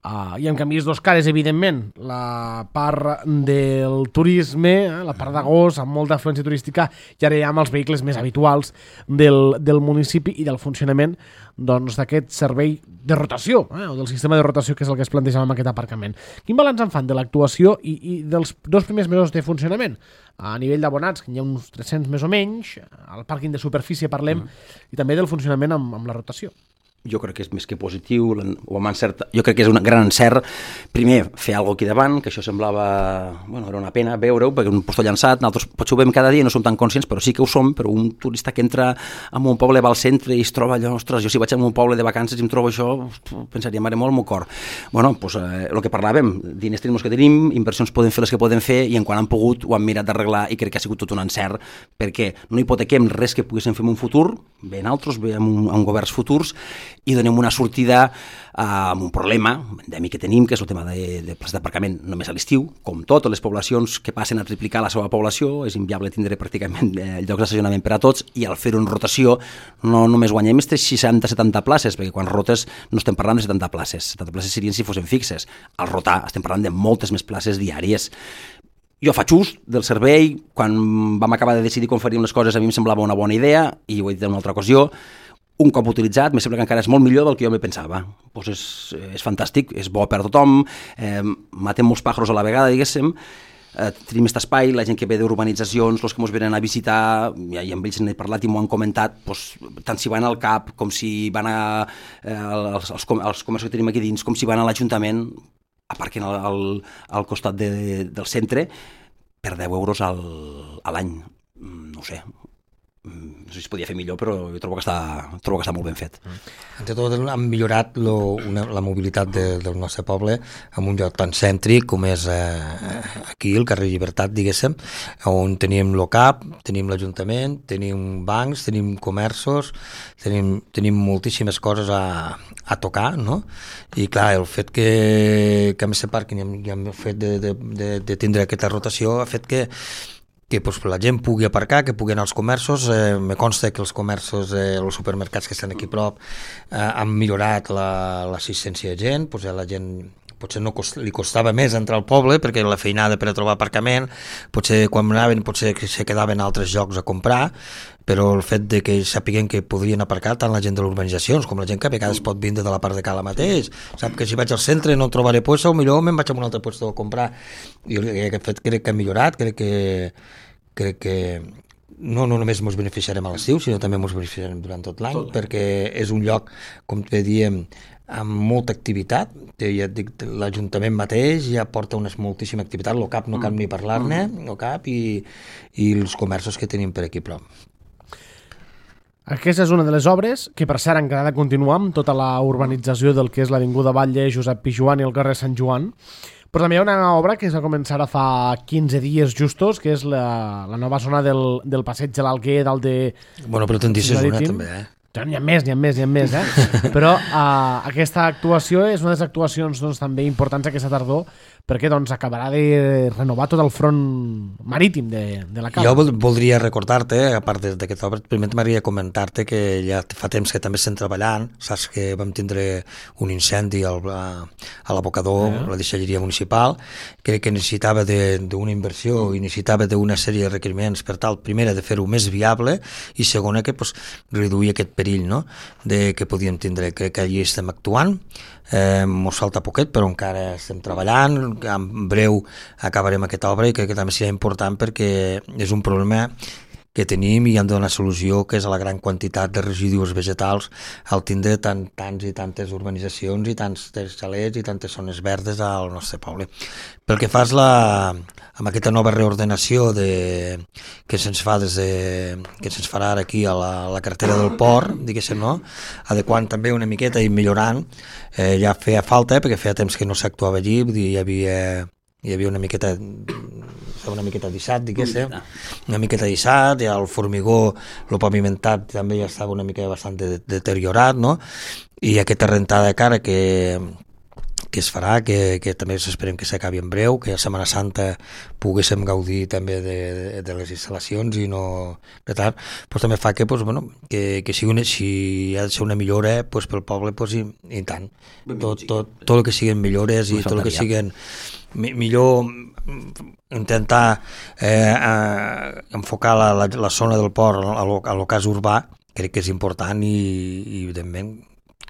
I en canvi, és dos cares, evidentment. La part del turisme, la part d'agost, amb molta afluència turística, i ara ja amb els vehicles més habituals del municipi i del funcionament d'aquest servei de rotació, o del sistema de rotació, que és el que es plantejava amb aquest aparcament. Quin balanç en fan de l'actuació i dels 2 primers mesos de funcionament? A nivell d'abonats, que hi ha uns 300 més o menys, al pàrquing de superfície parlem, i també del funcionament amb la rotació. Jo crec que és més que positiu, jo crec que és un gran encert, primer, fer alguna cosa aquí davant, que això semblava, era una pena veure-ho, perquè un posto llançat, nosaltres potser ho veiem cada dia i no som tan conscients, però sí que ho som, però un turista que entra en un poble, va al centre i es troba allò, ostres, jo si vaig a un poble de vacances i em trobo això, pensaria, mare molt, el meu cor. El que parlàvem, diners tenim els que tenim, inversions poden fer les que poden fer, i en quan han pogut ho han mirat d'arreglar, i crec que ha sigut tot un encert, perquè no hipotequem res que poguéssim fer en un futur, bé en altres, bé en governs futurs, i donem una sortida amb un problema endèmic que tenim, que és el tema de places d'aparcament només a l'estiu. Com totes les poblacions que passen a triplicar la seva població, és inviable tindre pràcticament llocs d'estacionament per a tots, i al fer-ho en rotació no només guanyem aquestes 60-70 places, perquè quan rotes no estem parlant de 70 places. 70 places serien si fossin fixes. Al rotar estem parlant de moltes més places diàries. Jo faig ús del servei. Quan vam acabar de decidir com faríem les coses, a mi em semblava una bona idea, i ho he dit en una altra ocasió. Un cop utilitzat, me sembla que encara és molt millor del que jo me pensava. És fantàstic, és bo per a tothom, matem molts pájaros a la vegada, diguéssim, tenim aquest espai, la gent que ve d'urbanitzacions, els que ens venen a visitar, i amb ells n'he parlat i m'ho han comentat, tant si van al CAP com si van als comerços que tenim aquí dins, com si van a l'Ajuntament, aparquen al costat del centre per 10 euros a l'any. No ho sé si es podia fer millor, però jo trobo que està molt ben fet. Entre tot, han millorat la mobilitat del nostre poble en un lloc tan cèntric com és aquí, el carrer Llibertat, diguéssim, on tenim l'OCAP, tenim l'Ajuntament, tenim bancs, tenim comerços, tenim moltíssimes coses a tocar, no? I clar, el fet que a més se parquin i el fet de tindre aquesta rotació ha fet que la gent pugui aparcar, que pugui anar als comerços. Me consta que els comerços, els supermercats que estan aquí a prop han millorat l'assistència de gent. La gent potser li costava més entrar al poble perquè la feinada per a trobar aparcament, potser quan anaven potser que se quedaven a altres llocs a comprar, però el fet de que sapiguen que podrien aparcar tant la gent de les urbanitzacions com la gent que a vegades pot vindre de la part de Cala mateix, sap que si vaig al centre no trobaré puesto, millor me'n vaig a un altre puesto a comprar. I aquest fet crec que ha millorat, crec que no només ens beneficiarem a l'estiu, sinó també ens beneficiarem durant tot l'any, perquè és un lloc, com te diem, amb molta activitat. Ja et dic, l'Ajuntament mateix ja porta moltíssima activitat, l'OCAP no cal ni parlar-ne, l'OCAP i els comerços que tenim per aquí prop. Aquesta és una de les obres que, per cert, encara ha de continuar amb tota la urbanització del que és l'Avinguda Batlle, Josep Pijuan i el carrer Sant Joan. Però també hi ha una obra que es va començar a fa 15 dies justos, que és la nova zona del passeig de l'Alguer, dalt de... Bueno, però te'n dices una també, N'hi ha més, Però aquesta actuació és una de les actuacions també importants aquesta tardor, perquè acabarà de renovar tot el front marítim de la Cala. Jo voldria recordar-te, a part d'aquesta obra, primer m'agradaria comentar-te que ja fa temps que també estem treballant. Saps que vam tindre un incendi a l'abocador, la deixalleria municipal, que necessitava d'una inversió i necessitava d'una sèrie de requeriments per tal, primera, de fer-ho més viable i segona, que reduir aquest perill, no?, que podíem tindre. Crec que allí estem actuant, mos falta poquet, però encara estem treballant, en breu acabarem aquesta obra i crec que també serà important perquè és un problema que tenim i han de donar solució, que és a la gran quantitat de residus vegetals al tindre tants i tantes urbanitzacions i tants xalets i tantes zones verdes al nostre poble. Pel que fas amb aquesta nova reordenació que se'ns farà ara aquí a la carretera del port, diguéssim, no? Adequant també una miqueta i millorant, ja feia falta, perquè feia temps que no s'actuava allí, vull dir, hi havia una miqueta d'issat, diguéssim, una miqueta d'issat, i el formigó, el pavimentat també ja estava una mica bastant deteriorat, no? I aquesta rentada de cara que es farà, que també esperem que s'acabi en breu, que a Setmana Santa poguéssim gaudir també de les instal·lacions i no de tant, pues també fa que, pues, bueno, que si ha de ser una millora pues, pel poble, pues, i tant. Tot el que siguin millores i tot el que siguin millor intentar enfocar la zona del port a lo cas urbà, crec que és important i evidentment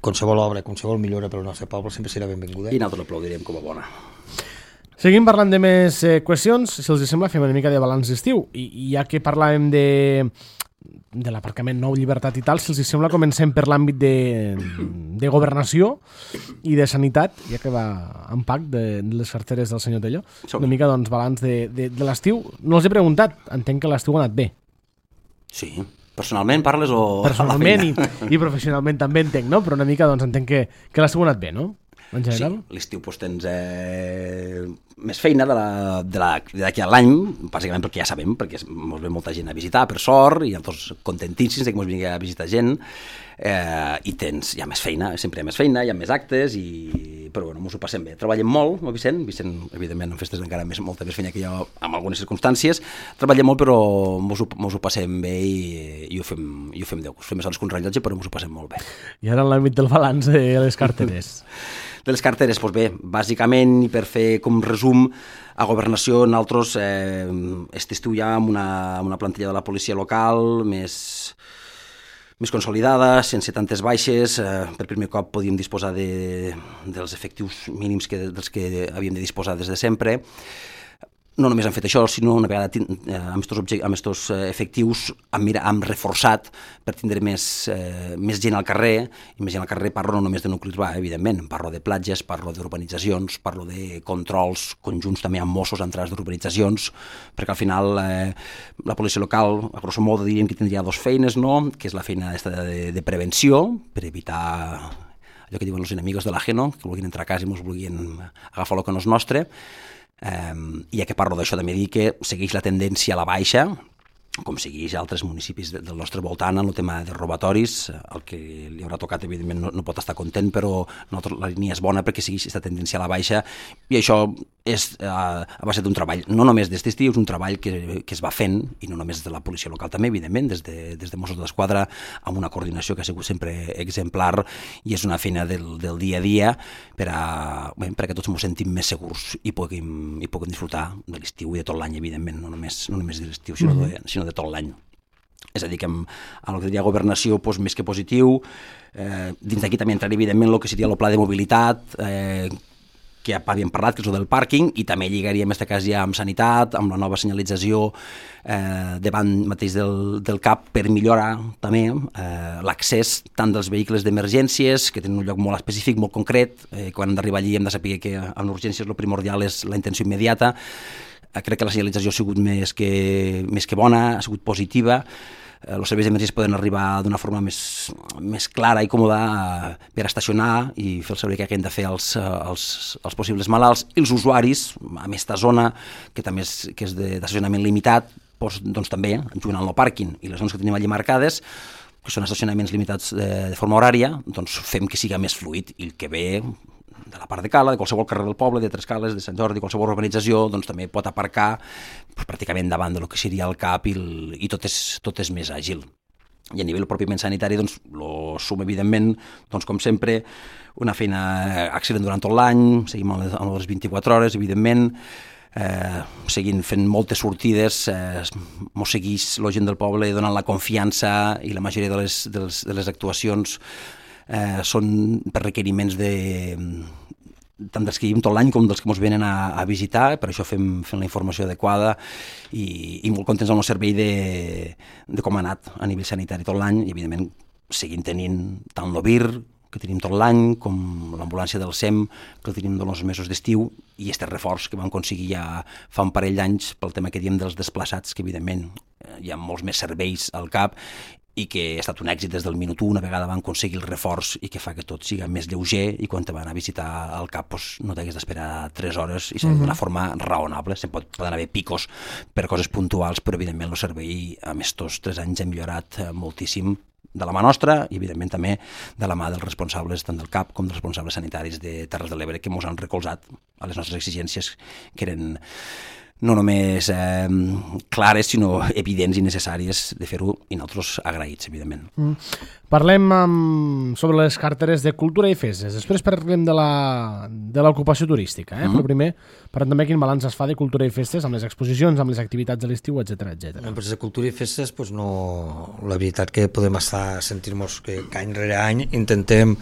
qualsevol obra, qualsevol millora pel nostre poble sempre serà benvinguda. I nosaltres l'aplaudirem com a bona. Seguim parlant de més qüestions. Si els sembla, fem una mica de balanç d'estiu. I ja que parlàvem de l'aparcament nou, Llibertat i tal, si els sembla, comencem per l'àmbit de governació i de sanitat, ja que va en pack de les carteres del senyor Tello. Una mica, doncs, balanç de l'estiu. No els he preguntat, entenc que l'estiu ha anat bé. Sí. Personalment parles o... Personalment i professionalment també entenc, no? Però una mica doncs entenc que l'estiu ha anat bé, no? En general. Sí, l'estiu doncs, tens més feina d'aquí a l'any, bàsicament perquè ja sabem, perquè ens ve molta gent a visitar, per sort, i nosaltres contentíssims que ens vingui a visitar gent, i hi ha més feina, sempre hi ha més feina, hi ha més actes, però bueno, ens ho passem bé. Treballem molt, no, Vicent, evidentment, en festes encara molta més feina que jo, en algunes circumstàncies, treballem molt, però ens ho passem bé i ho fem de gust. Fem més hores que un rellotge, però ens ho passem molt bé. I ara en l'àmbit del balanç de les carteres. De les carteres, doncs bé, bàsicament, i per fer com resum, a Governació nosaltres estiu ja amb una plantilla de la policia local més consolidada, sense tantes baixes. Per primer cop podíem disposar dels efectius mínims dels que havíem de disposar des de sempre. No només han fet això, sinó una vegada amb aquests efectius hem reforçat per tindre més gent al carrer, i més gent al carrer parlo no només de nucli urbà, evidentment, parlo de platges, parlo d'urbanitzacions, parlo de controls conjunts també amb Mossos a entrades d'urbanitzacions, perquè al final la policia local, a grosso modo diríem que tindria dues feines, no? Que és la feina de prevenció, per evitar allò que diuen els enemigos de l'ajeno, que vulguin entrar a casa i ens vulguin agafar el que no és nostre. I ja que parlo d'això també dir que segueix la tendència a la baixa, com segueix altres municipis del nostre voltant en el tema de robatoris. El que li haurà tocat evidentment no pot estar content, però la línia és bona perquè segueix aquesta tendència a la baixa, i això és a base d'un treball, no només d'aquest estiu, és un treball que es va fent, i no només de la policia local també, evidentment, des de Mossos d'Esquadra, amb una coordinació que ha sigut sempre exemplar, i és una feina del dia a dia perquè tots ens sentim més segurs i puguem disfrutar de l'estiu i de tot l'any, evidentment, no només de l'estiu, sinó de tot l'any. És a dir, que amb el que diria Governació, més que positiu, dins d'aquí també entraria evidentment el que seria el pla de mobilitat, que ja havíem parlat, que és el del pàrquing, i també lligaríem en aquest cas ja amb sanitat, amb la nova senyalització davant mateix del CAP, per millorar també l'accés tant dels vehicles d'emergències, que tenen un lloc molt específic, molt concret. Quan hem d'arribar allí hem de saber que en urgències el primordial és la intenció immediata. Crec que la senyalització ha sigut més que bona, ha sigut positiva. Els serveis d'emergències poden arribar d'una forma més clara i còmoda per estacionar i fer el servei que hem de fer als possibles malalts. I els usuaris, en aquesta zona, que també és d'estacionament limitat, doncs també, jugant al no pàrquing i les zones que tenim allí marcades, que són estacionaments limitats de forma horària, doncs fem que siga més fluid, i el que ve de la part de Cala, de qualsevol carrer del poble, de Trescales, de Sant Jordi, qualsevol urbanització, doncs també pot aparcar pràcticament davant del que seria el CAP, i tot és més àgil. I a nivell pròpiament sanitari, doncs, lo sum, evidentment, doncs, com sempre, una feina excel·lent durant tot l'any, seguim a les 24 hores, evidentment, seguint fent moltes sortides, mos segueix la gent del poble donant la confiança, i la majoria de les actuacions són per requeriments tant dels que vivim tot l'any com dels que ens venen a visitar. Per això fem la informació adequada i molt contents amb el servei de com ha anat a nivell sanitari tot l'any, i evidentment seguim tenint tant l'OVIR, que tenim tot l'any, com l'ambulància del SEM, que el tenim dels mesos d'estiu, i aquest reforç que vam aconseguir ja fa un parell d'anys pel tema que diem dels desplaçats, que evidentment hi ha molts més serveis al CAP, i que ha estat un èxit des del minut 1, una vegada van aconseguir el reforç, i que fa que tot siga més lleuger, i quan te van a visitar al CAP no t'hagués d'esperar 3 hores, i d'una forma raonable. Poden haver picos per coses puntuals, però evidentment el servei en estos 3 anys ha millorat moltíssim, de la mà nostra i, evidentment, també de la mà dels responsables, tant del CAP com dels responsables sanitaris de Terres de l'Ebre, que ens han recolzat a les nostres exigències, que eren no només clares, sinó evidents i necessàries de fer-ho, i nosaltres agraïts, evidentment. Parlem sobre les carteres de cultura i festes. Després parlem de l'ocupació turística. Però primer parlem també quin balanç es fa de cultura i festes amb les exposicions, amb les activitats de l'estiu, etc. Pues de cultura i festes, pues no, la veritat que podem estar sentir-nos que any rere any intentem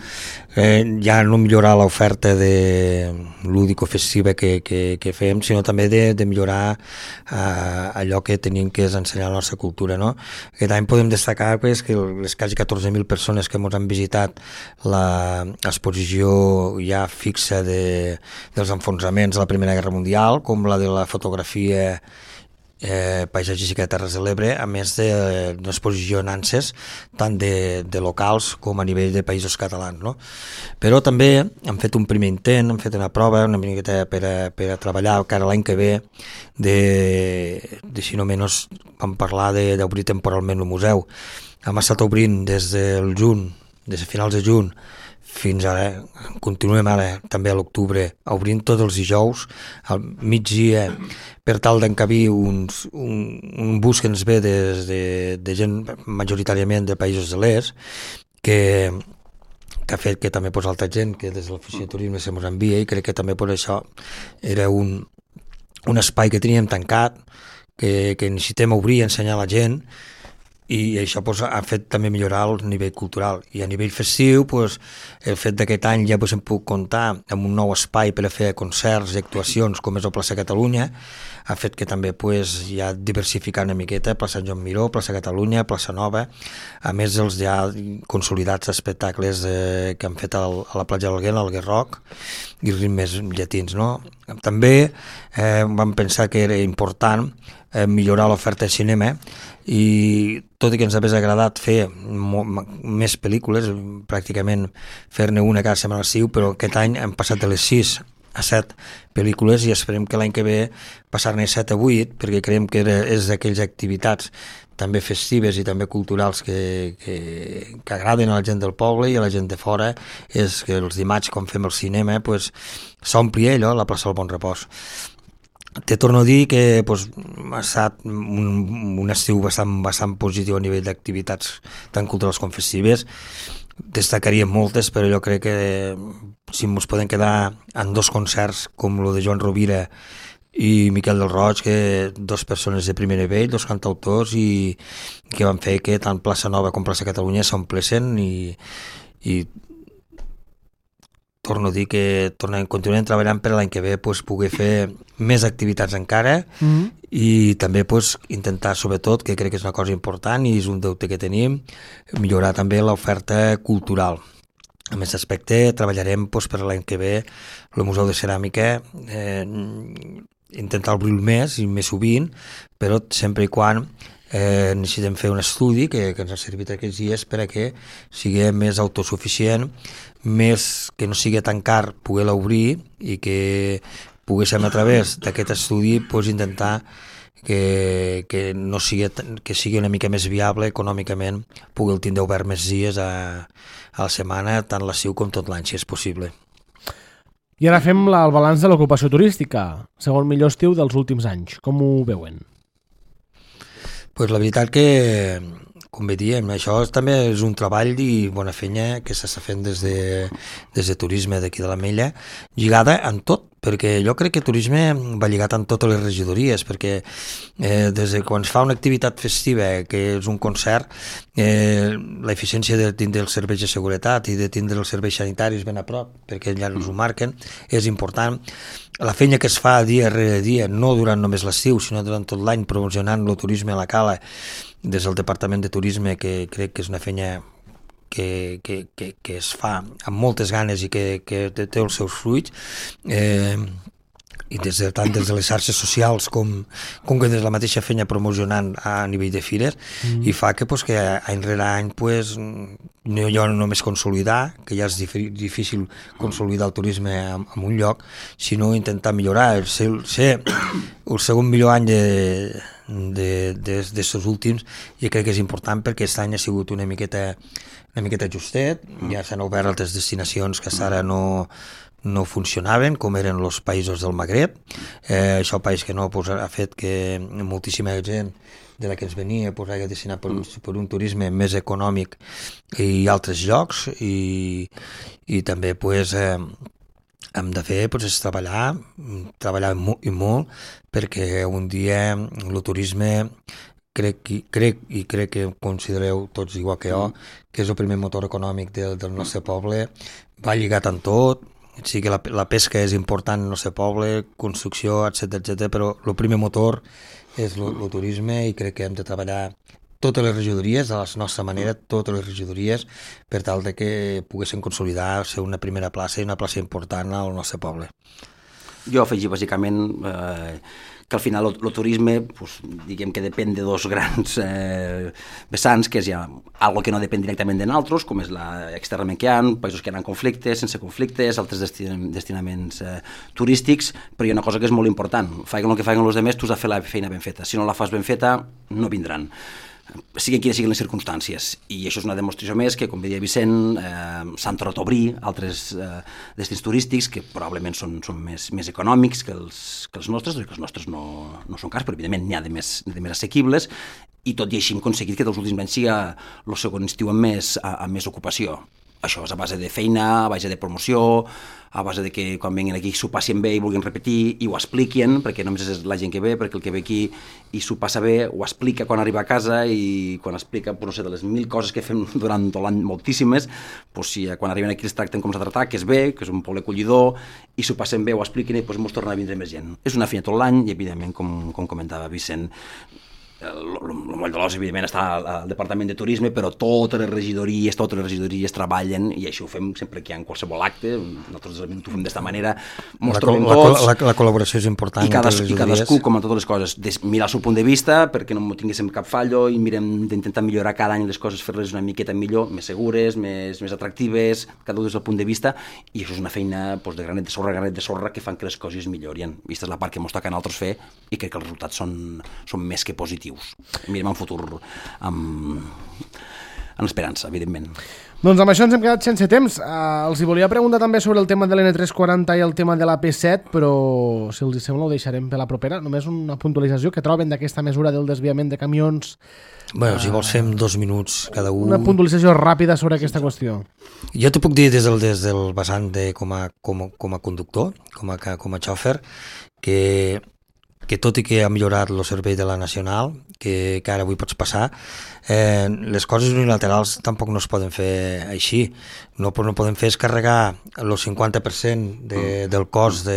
ja no millorar l'oferta de lúdico-festiva que fem, sinó també de millorar allò que tenim, que és ensenyar la nostra cultura, no? Aquest any podem destacar pues, que les quasi 14.000 persones que ens han visitat l'exposició ja fixa dels enfonsaments de la Primera Guerra Mundial, com la de la fotografia paisatgística de Terres de l'Ebre, a més d'una exposició en ANSES, tant de locals com a nivell de països catalans, no? Però també hem fet un primer intent, hem fet una prova una miqueta per a treballar cara l'any que ve si no menys vam parlar d'obrir temporalment el museu. Hem estat obrint des del juny, des de finals de juny fins ara, continuem ara també a l'octubre, obrint tots els dijous al migdia per tal d'encabir un bus que ens ve de gent majoritàriament de països de l'est que ha fet que també altra gent que des de l'oficina de turisme se mos envia, i crec que també per això era un espai que teníem tancat, que necessitem obrir i ensenyar a la gent, i això ha fet també millorar el nivell cultural. I a nivell festiu, el fet d'aquest any ja hem pogut comptar amb un nou espai per a fer concerts i actuacions com és el Plaça Catalunya, ha fet que també ja diversificar una miqueta Plaça Joan Miró, Plaça Catalunya, Plaça Nova, a més dels ja consolidats espectacles que han fet a la platja d'Alguer, al Guerroc, i ritmes llatins, no? També vam pensar que era important millorar l'oferta de cinema, i tot i que ens hagués agradat fer més pel·lícules, pràcticament fer-ne una cada setmana estiu, però aquest any hem passat de les 6 a 7 pel·lícules i esperem que l'any que ve passar-ne 7 a 8, perquè creiem que és d'aquelles activitats també festives i també culturals que agraden a la gent del poble i a la gent de fora, és que els dimarts quan fem el cinema s'ompli allò, la plaça del Bon Repòs. Te torno a dir que ha estat un estiu bastant positiu a nivell d'activitats tant culturals com festives. Destacaríem moltes, però jo crec que si ens podem quedar en 2 concerts com el de Joan Rovira i Miquel del Roig, que 2 persones de primer nivell, 2 cantautors, i que van fer que tant Plaça Nova com Plaça Catalunya s'omplessin, i torno a dir que continuem treballant per l'any que ve poder fer més activitats encara, i també intentar, sobretot, que crec que és una cosa important i és un deute que tenim, millorar també l'oferta cultural. En aquest aspecte treballarem per l'any que ve el Museu de Ceràmica, intentar obrir-lo més i més sovint, però sempre i quan necessitem fer un estudi que ens ha servit aquests dies per a que sigui més autosuficient, més que no sigui tan car poder-la obrir, i que poguéssim a través d'aquest estudi intentar que sigui una mica més viable econòmicament poder tindre obert més dies a la setmana, tant l'estiu com tot l'any, si és possible. I ara fem el balanç de l'ocupació turística, segon millor estiu dels últims anys. Com ho veuen? La veritat que, com bé diem, això també és un treball i bona feina que s'està fent des de turisme d'aquí de l'Ametlla, lligada en tot, perquè jo crec que turisme va lligat en totes les regidories, perquè des de quan es fa una activitat festiva, que és un concert, l'eficiència de tindre els serveis de seguretat i de tindre els serveis sanitaris ben a prop, perquè ja ens ho marquen, és important. La feina que es fa dia rere dia, no durant només l'estiu, sinó durant tot l'any, promocionant el turisme a la Cala, des del Departament de Turisme, que crec que és una feina que es fa amb moltes ganes i que té els seus fruits, i tant des de les xarxes socials com que des de la mateixa feina promocionant a nivell de fires, i fa que any rere any no hi ha només consolidar, que ja és difícil consolidar el turisme en un lloc, sinó intentar millorar. Ser el segon millor any d'estos últims, i crec que és important perquè aquest any ha sigut una miqueta justet, ja s'han obert altres destinacions que ara no funcionaven, com eren els països del Magreb. Això, país que no ha fet que moltíssima gent de la que ens venia hagi destinat per un turisme més econòmic i altres llocs, i també hem de fer és treballar i molt, perquè un dia el turisme crec que considereu tots igual que jo, que és el primer motor econòmic del nostre poble, va lligat amb tot. Sí que la pesca és important en el nostre poble, construcció, etc, però el primer motor és el turisme, i crec que hem de treballar totes les regidories, de la nostra manera, totes les regidories, per tal de que poguessin consolidar, ser una primera plaça i una plaça important al nostre poble. Jo afegir bàsicament que al final el turisme, diguem que depèn de dos grans vessants, que és ja algo que no depèn directament de nosaltres, com és externament que hi ha, països que hi ha conflictes, sense conflictes, altres destinaments turístics, però hi ha una cosa que és molt important: facin el que facin els altres, tu has de fer la feina ben feta. Si no la fas ben feta, no vindran, siguin quines siguin les circumstàncies. I això és una demostració més que, com deia Vicent, s'han tornat a obrir altres destins turístics que probablement són més econòmics que els nostres, que els nostres no són cars, però evidentment n'hi ha de més assequibles, i tot i així hem aconseguit que dels últims anys sigui el segon estiu amb més ocupació. Això és a base de feina, a base de promoció, a base de que quan vinguin aquí s'ho passin bé i vulguin repetir i ho expliquin, perquè només és la gent que ve, perquè el que ve aquí i s'ho passa bé ho explica quan arriba a casa, i quan explica, no sé, de les 1000 coses que fem durant tot l'any, moltíssimes, si quan arriben aquí els tracten com s'ha de tractar, que és bé, que és un poble acollidor, i s'ho passen bé, ho expliquen, i ens torna a vindre més gent. És una feina tot l'any, i evidentment, com comentava Vicent, el moll de l'os, evidentment, està al Departament de Turisme, però totes les regidories treballen, i això ho fem sempre que hi ha qualsevol acte. Nosaltres ho fem d'esta manera, mos trobem tots. La col·laboració és important. I cadascú, com en totes les coses, mirar el seu punt de vista, perquè no tinguéssim cap fallo, i mirem d'intentar millorar cada any les coses, fer-les una miqueta millor, més segures, més atractives, cada un des del punt de vista, i això és una feina de granet de sorra que fan que les coses millorin. Aquesta és la part que ens toca a nosaltres fer, i crec que els resultats són més que positius. Mirem en futur amb esperança, evidentment. Doncs amb això ens hem quedat sense temps. Els hi volia preguntar també sobre el tema de l'N340 i el tema de la P7, però si els sembla ho deixarem per la propera. Només una puntualització: que troben d'aquesta mesura del desviament de camions? Bueno, si vols fem 2 minuts cada un. Una puntualització ràpida sobre aquesta qüestió. Jo t'ho puc dir des del vessant com a conductor, com a xòfer, que tot i que ha millorat el servei de la Nacional, que ara avui pots passar, les coses unilaterals tampoc no es poden fer així. No podem fer és carregar el 50% del cost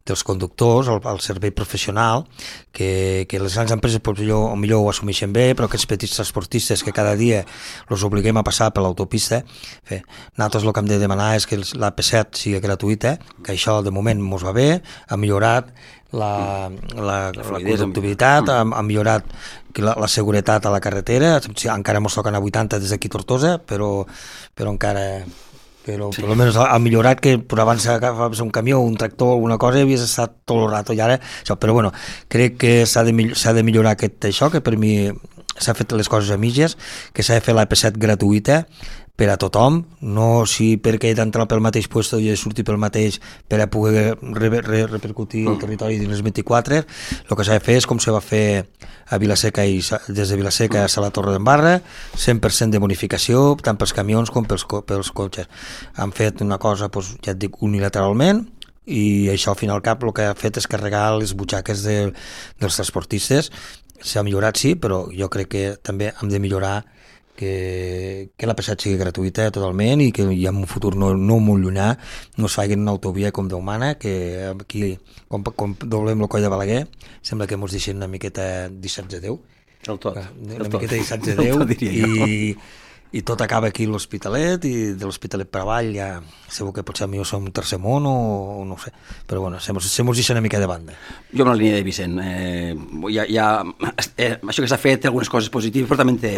dels conductors al servei professional, que les grans empreses millor ho assumeixen bé, però aquests petits transportistes que cada dia els obliguem a passar per l'autopista, nosaltres el que hem de demanar és que la P7 sigui gratuïta, que això de moment ens va bé, ha millorat la conductivitat, ha millorat la seguretat a la carretera. Encara ens toquen a 80 des d'aquí Tortosa, però encara... Però sí. Almenys ha millorat, que per abans agafaves un camió, un tractor, alguna cosa, i havies estat tot el rato, i ara... Però bueno, crec que s'ha de millorar això, que per mi s'ha fet les coses a mitges, que s'ha de fer la P7 gratuïta per a tothom, no si perquè he d'entrar pel mateix lloc i he de sortir pel mateix per a poder repercutir el territori dins les 24. El que s'ha de fer és com se va fer a Vilaseca, i des de Vilaseca a la Torre d'Embarra, 100% de bonificació, tant pels camions com pels cotxes. Han fet una cosa, ja et dic, unilateralment, i això al final cap el que ha fet és carregar les butxaques dels transportistes. S'ha millorat, sí, però jo crec que també hem de millorar que la P7 sigui gratuïta totalment, i que ja en un futur no molt llunyà no es facin una autovia com Déu mana, que aquí, com doblem el coll de Balaguer, sembla que ens deixen una miqueta 17 de 10. El tot. Una miqueta 17 de 10, i tot acaba aquí a l'Hospitalet, i de l'Hospitalet per avall ja segur que potser millor som un tercer món o no ho sé, però bueno, se mos deixa una mica de banda. Jo amb la línia de Vicent, això que s'ha fet té algunes coses positives, però també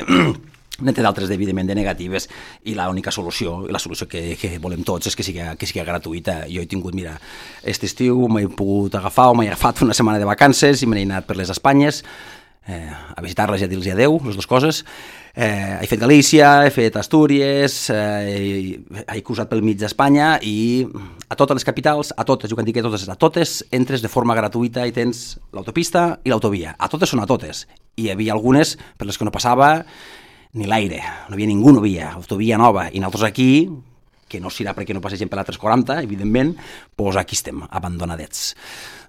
n'hi té d'altres, evidentment, de negatives, i l'única solució, i la solució que volem tots, és que sigui gratuïta. Jo he tingut, mira, aquest estiu m'he pogut agafar, o m'he agafat una setmana de vacances i m'he anat per les Espanyes, a visitar-les i a dir-los adeu, les dues coses. He fet Galícia, he fet Astúries, he cruzat pel mig d'Espanya, i a totes les capitals, a totes, jo quan dic a totes entres de forma gratuïta i tens l'autopista i l'autovia. A totes són a totes. I hi havia algunes per les que no passava ni l'aire, no havia ningú, no havia autovia nova, i nosaltres aquí, que no serà perquè no passegem per la 340, evidentment, doncs aquí estem, abandonadets.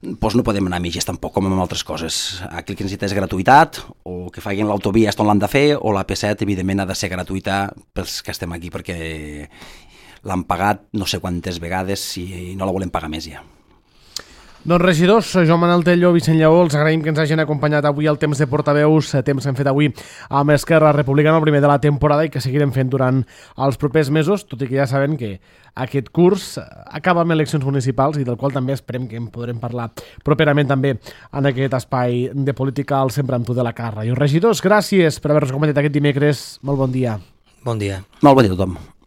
Doncs no podem anar a mitges tampoc, com amb altres coses. Aquí el que necessita és gratuïtat, o que facin l'autovia on l'han de fer, o la P7, evidentment, ha de ser gratuïta pels que estem aquí, perquè l'han pagat no sé quantes vegades i no la volem pagar més ja. Doncs regidors, Joan Manel Tello, Vicent Lleó, els agraïm que ens hagin acompanyat avui al temps de portaveus, temps que hem fet avui amb Esquerra Republicana, el primer de la temporada, i que seguirem fent durant els propers mesos, tot i que ja saben que aquest curs acaba amb eleccions municipals i del qual també esperem que en podrem parlar properament també en aquest espai de política al Sempre amb tu de la Cara Ràdio. Regidors, gràcies per haver-nos acompanyat aquest dimecres. Molt bon dia. Bon dia. Molt bon dia a tothom.